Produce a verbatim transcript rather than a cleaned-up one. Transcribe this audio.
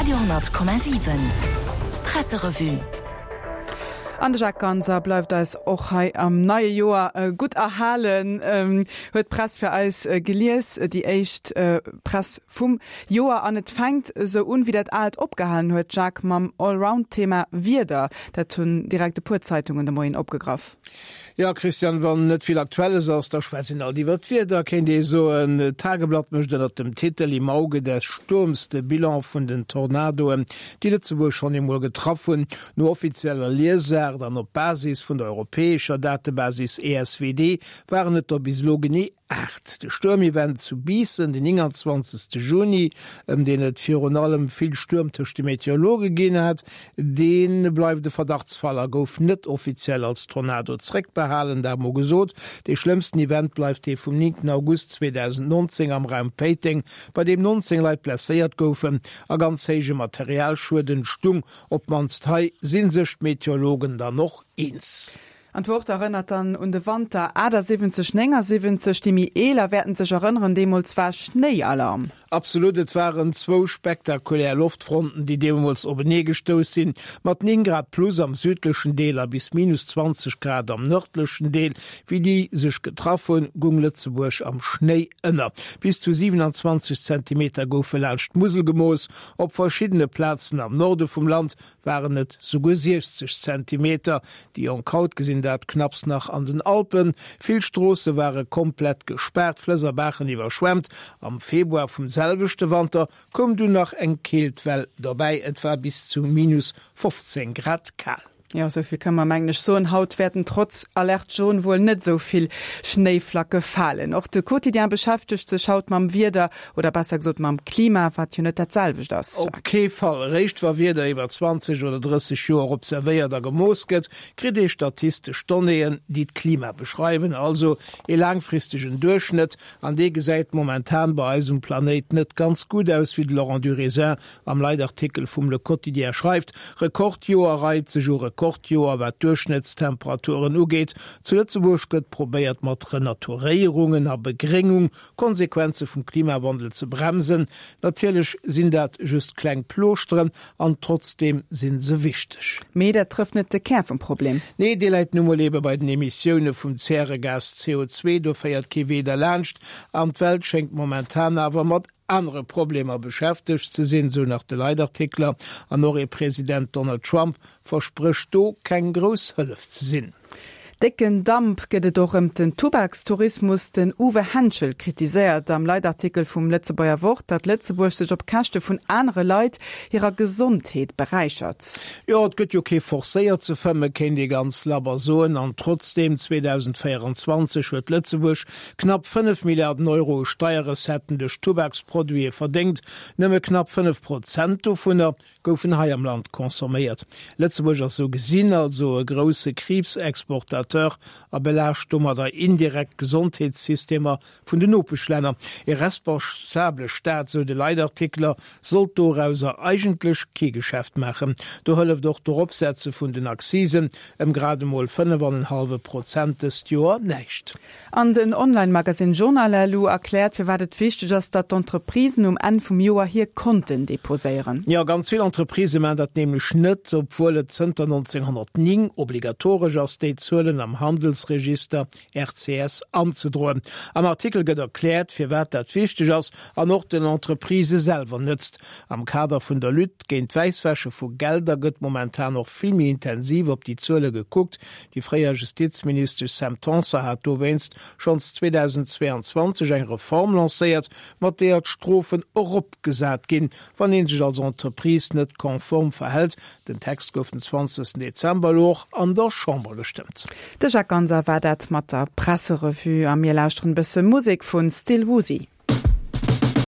Radio honnert Komma siwen Presserevue. An de Jacques Ganser bleift eis och hei am neie Joer gutt erhalen, huet d'Press fir eis gelies, déi éischt Press vum Joer. An et fänkt esou un, wéi dat Aalt opgehalen huet, Jacques, mam Allround-Thema Wieder. Dat hunn direkt e puer Zeitungen de Moien opgegraff. Jo, Christian, wann net vill Aktuelles ass, da schwätzt een alt iwwer d'Wieder, kéint ee soen. D'Tageblatt mécht ënnert dem Titel Im Auge des Sturms de Bilan vun den Tornadoen, déi Lëtzebuerg schonn eemol getraff hunn. No offizieller Liesaart an op Basis vun der europäescher Datebasis E S W D waren et der bis elo genee aacht. De Stuermevent zu Biissen den nénganzwanzegste Juni, ëm deen et virun allem vill Stuerm tëscht de Meteorologe ginn hat, dee bleift e Verdachtsfall a gouf net offiziell als Tornado zréckbehalen. Dat mol gesot. Dee schlëmmsten Event bleift dee vum néngten August zweedausendnonzéng am Raum Péiteng, bei deem nonzéng Leit blesséiert goufen a ganz héije Materialschued entstung. Op d'mannst hei si sech d'Meteorologen dann och eens. An d'Wort erënnert dann un de Wanter achtasiwwenzeg, néngasiwwenzeg. Déi méi eeler wäerten sech erënneren, deemools war Schnéialarm. Absolut, et waren zwou spektakulär Loftfronten, déi deemools openee gestouss sinn, mat néng Grad plus am südlechen Deel a bis minus zwanzeg Grad am nërdlechen Deel. Wéi déi sech getraff hunn, gung Lëtzebuerg am Schnéi ënner. Bis zu siewenundzwanzeg Zentimeter goufe laanscht d'Musel gemooss. Op verschiddene Plazen am Norde vum Land waren et souguer siechzeg Zentimeter. Déi jonk haut gesinn dat knapps nach an den Alpen. Vill Stroosse ware komplett gespaart, Flëss a Baachen iwwerschwemmt. Am Februar vum selwechte Wanter koum dunn nach eng Keeltwell dobäi. Et war bis zu minus fofzéng Grad kal. Jo, esou vill kënne mer mengen ech soen. Haut wäerten trotz Alerte jaune wuel net esou vill Schnéiflacke falen. Och de Quotidien beschäftegt sech haut mam Wieder, oder besser gesot mam Klima, wat jo net dat selwecht ass. Op kee Fall. Eréischt wa Wieder iwwer zwanzeg oder drësseg Joer observéiert a gemooss gëtt, kritt ee statistesch Donnéeën, déi d'Klima beschreiwen, also ee laangfristegen Duerchschnëtt. An dee gesäit momentan bei eis um Planéit net ganz gutt aus, wéi de Laurent Durézin am Leitartikel vum Le Quotidien schreift. Rekordjoer reit sech u Rekordjoer, wat d'Duerchschnëttstemperaturen ugeet. Zu Lëtzebuerg gëtt probéiert, mat Renaturéierungen a Begréngung Konsequenze vum Klimawandel ze bremsen. Natierlech sinn dat just kleng Plooschteren an trotzdeem sinn se wichteg. Mee dat trëfft net de Kär vum Problem. Nee, dee läit nu mol ebe bei den Emissioune vum Zäregas C O zwee. Do féiert kee Wee derlaanscht. An d'Welt schéngt momentan awer mat anere Problemer beschäftegt ze sinn, sou nach de Leitartikler. An och ee President Donald Trump versprécht do keng grouss Hëllef ze sinn. Décken Damp gëtt et och ëm den Tubakstourismus. Den Uwe Henschel kritiséiert am Leitartikel vum Lëtzebuerger Wort, datt Lëtzebuerg sech op Käschte vun anere Leit hirer Gesondheet beräichert. Jo, et gëtt jo kee forcéiert ze fëmmen, kéint ee ganz labber soen. An trotzdeem, zweedausendvéieranzwanzeg huet Lëtzebuerg knapp fënnef Milliarden Euro u Steierrecetten duerch Tubaksproduite verdéngt. Nëmme knapp fënnef Prozent dovunner goufen hei am Land consomméiert. Lëtzebuerg ass sou gesinn also e grousse Kriibsexportateur a belaascht domadder indirekt d'Gesondheetssystemer vun den Nopeschlänner. E responsabele Staat, sou de Leitartikler, sollt dorauser eigentlech kee Geschäft maachen. Do hëlleft och d'Eropsetze vun den Accisen ëm grad emol fënnef an en hallwe Prozent dëst Joer näischt. An den Online-Magazine Journal punkt L U erkläert, firwat et wichteg ass, datt d'Entreprisen um Enn vum Joer hir Konten deposéieren. Jo, ganz vill Entreprisë maachen dat nämlech net, obwuel et zënter neunzehnhundertneun obligatoresch ass, déi Zuelen am Handelsregister R C S anzedroen. Am Artikel gëtt erkläert, firwat dat wichteg ass an och den Entreprisë selwer nëtzt. Am Kader vun der Lutte géint d'Wäisswäsche vu Gelder gëtt momentan och vill méi intensiv op déi Zuele gekuckt. Déi fréier Justizministesch Sam Tanson hat dowéinst schonns zweetausendzweiundzwanzeg eng Reform lancéiert, mat deeër d'Strofen eropgesat ginn, wann een sech als Entreprise net konform verhält. Den Text gouf den zwanzegsten Dezember elo och an der Chamber gestëmmt. De Jacques Ganser war dat mat der Presserevue a mir lauschteren e bësse Musek vun Still Woozy.